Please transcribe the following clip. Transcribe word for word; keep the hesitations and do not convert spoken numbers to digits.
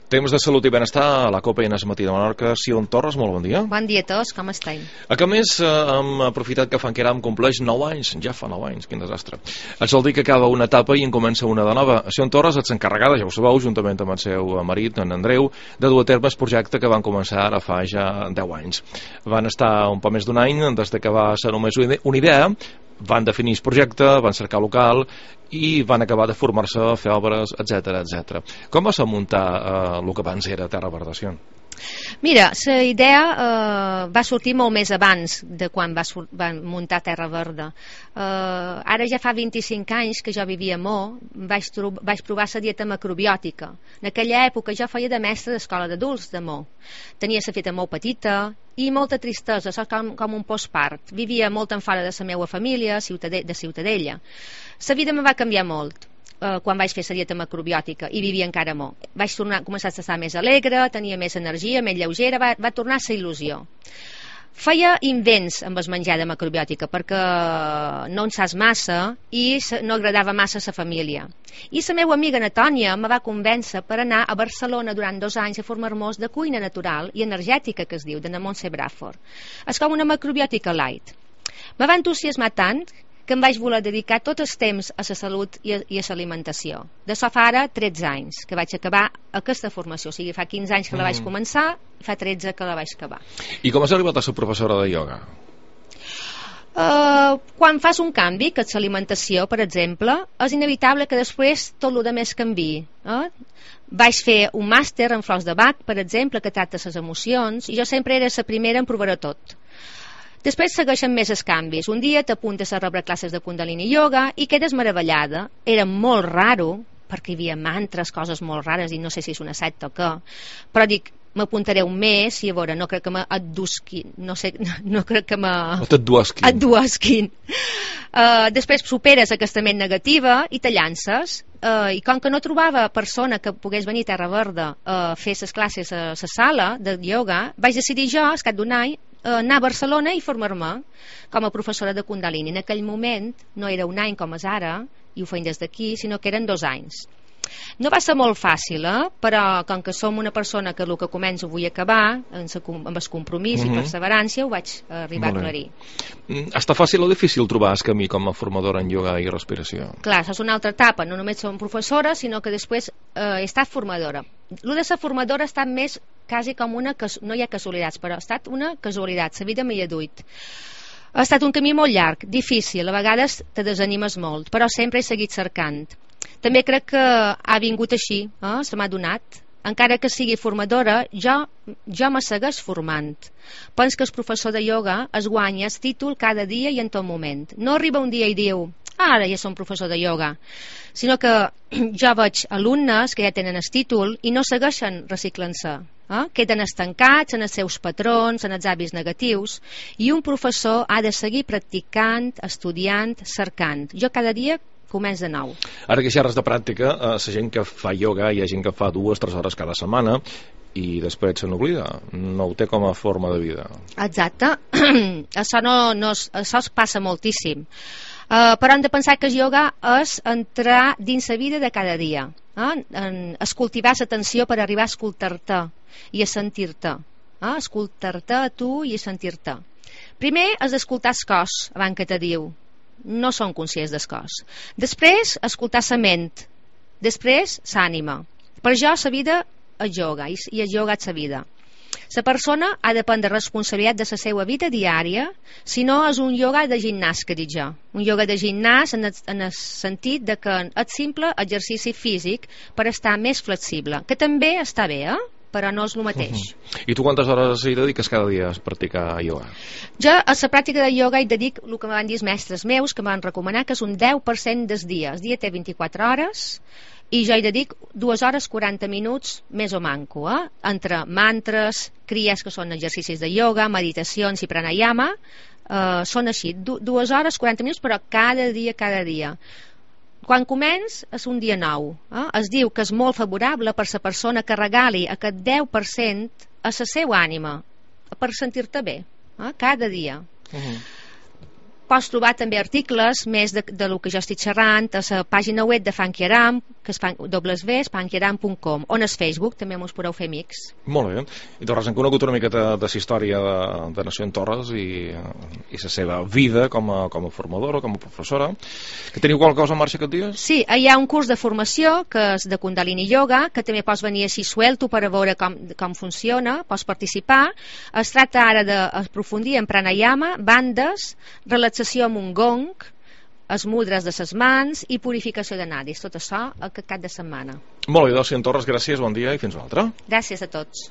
Temps de salut i benestar a la Copa Enes Matí de Menorca. Sion Torres, molt bon dia. Bon dia a tots, com esteu? A que més eh, hem aprofitat que Fanqueram compleix nou anys, ja fa nou anys, quin desastre. Et sol dir que acaba una etapa i en comença una de nova. Sion Torres ets encarregada, ja ho sabeu, juntament amb el seu marit, en Andreu, de dur a terme el projecte que van començar ara fa ja deu anys. Van estar un poc més d'un any des de que va ser només una idea, van definir el projecte, van cercar local i van acabar de formar-se, fer obres, etcètera, etcètera. Com va ser muntar eh, el que abans era Terra Verda, Sion? Mira, la idea eh, va sortir molt més abans de quan va, van muntar Terra Verda. Eh, ara ja fa vint-i-cinc anys que jo vivia a Mo, vaig, vaig provar la dieta macrobiòtica. En aquella època jo feia de mestre d'escola d'adults de Mo. Tenia la feta molt petita i molta tristesa, com, com un postpart. Vivia molt en fora de la meva família, de Ciutadella. La vida me va canviar molt eh, quan vaig fer la dieta macrobiòtica i vivia encara molt. Vaig tornar, començar a estar més alegre, tenia més energia, més lleugera, va, va tornar a ser il·lusió. Feia invents amb el menjar de macrobiòtica perquè no en saps massa i no agradava massa a la família. I la meva amiga Natònia me va convèncer per anar a Barcelona durant dos anys a formar-nos de cuina natural i energètica, que es diu, de na Montse Bràford. És com una macrobiòtica light. Me va entusiasmar tant que em vaig voler dedicar tot el temps a la salut i a, i a l'alimentació. De so fa ara tretze anys que vaig acabar aquesta formació, o sigui, fa quinze anys que la vaig començar, fa tretze que la vaig acabar. I com has arribat a ser professora de ioga? Uh, quan fas un canvi, que és l'alimentació, per exemple, és inevitable que després tot el més canviï. Eh? Vaig fer un màster en flors de Bach, per exemple, que tracta les emocions, i jo sempre era la primera en provar-ho tot. Després segueixen més els canvis. Un dia t'apuntes a rebre classes de Kundalini Yoga i quedes meravellada. Era molt raro, perquè hi havia mantres, coses molt rares, i no sé si és una secta o què, però dic, m'apuntaré un mes i a veure, no crec que m'adduesquin, no sé, no crec que m'adduesquin. Uh, després superes aquesta ment negativa i te llances, uh, i com que no trobava persona que pogués venir a Terra Verda a uh, fer les classes a la sala de ioga, vaig decidir jo, al cap d'un any, anar a Barcelona i formar-me com a professora de Kundalini. En aquell moment no era un any com és ara, i ho feim des d'aquí, sinó que eren dos anys. No va ser molt fàcil, eh? Però com que som una persona que el que començo vull acabar, amb el compromís uh-huh. i perseverància, ho vaig arribar a aclarir. Està fàcil o difícil trobar el camí com a formadora en ioga i respiració? Clar, això és una altra etapa, no només som professora, sinó que després eh, he estat formadora. El de ser formadora ha estat més quasi com una, no hi ha casualitats, però ha estat una casualitat, la vida m'hi ha duit. Ha estat un camí molt llarg, difícil, a vegades te desanimes molt, però sempre he seguit cercant. També crec que ha vingut així, eh? Se m'ha donat. Encara que sigui formadora, jo, jo me segueix formant. Penso que el professor de ioga es guanya el títol cada dia i en tot moment. No arriba un dia i diu, ara ja som professor de ioga, sinó que jo veig alumnes que ja tenen el títol i no segueixen reciclant-se. Eh? Queden estancats en els seus patrons, en els hàbits negatius, i un professor ha de seguir practicant, estudiant, cercant. Jo cada dia començ de nou. Ara que xerres de pràctica, eh, la gent que fa ioga hi ha gent que fa dues, tres hores cada setmana i després se n'oblida, no ho té com a forma de vida. Exacte. Això, no, no, això es passa moltíssim. Uh, però hem de pensar que el ioga és entrar dins la vida de cada dia, eh? En, es cultivar l'atenció per arribar a escoltar-te i a sentir-te, eh? Escoltar-te a tu i a sentir-te. Primer has d'escoltar el cos abans que te diu, no són conscients del cos. Després escoltar la ment, després l'ànima. Per jo la vida és ioga i el ioga és la vida. La persona ha de prendre responsabilitat de la seva vida diària, si no és un ioga de gimnàs, que dic jo. Un ioga de gimnàs en el, en el sentit de que és simple exercici físic per estar més flexible, que també està bé, eh? Però no és el mateix. Uh-huh. I tu quantes hores hi dediques cada dia a practicar ioga? Jo a la pràctica de ioga hi dedic el que me van dir els mestres meus, que me van recomanar, que és un deu per cent del dia. El dia té vint-i-quatre hores i jo hi dedic dues hores quaranta minuts més o manco, eh? Entre mantres, cries, que són exercicis de ioga, meditacions i pranayama, eh, són així, du dues hores quaranta minuts, però cada dia, cada dia. Quan començ és un dia nou, eh? Es diu que és molt favorable per la persona que regali aquest deu per cent a la seva ànima, per sentir-te bé, eh? Cada dia. Uh-huh. pots trobar també articles més de, de lo que jo estic xerrant a la pàgina web de Funky Aram, que és dobles ves, funky aram punt com, on és Facebook, també mos podeu fer amics. Molt bé. I Torres, hem conegut una miqueta de la història de, de Nació en Torres i, i la seva vida com a, com a formadora, com a professora. Que teniu qualque cosa en marxa aquests dies? Sí, hi ha un curs de formació que és de Kundalini Yoga, que també pots venir així suelto per a veure com, com funciona, pots participar. Es tracta ara d'aprofundir en pranayama, bandes, relaxació amb un gong, els mudres de ses mans i purificació de nadis. Tot això aquest cap de setmana. Molt bé, doncs, senyor Torres, gràcies, bon dia i fins una altra. Gràcies a tots.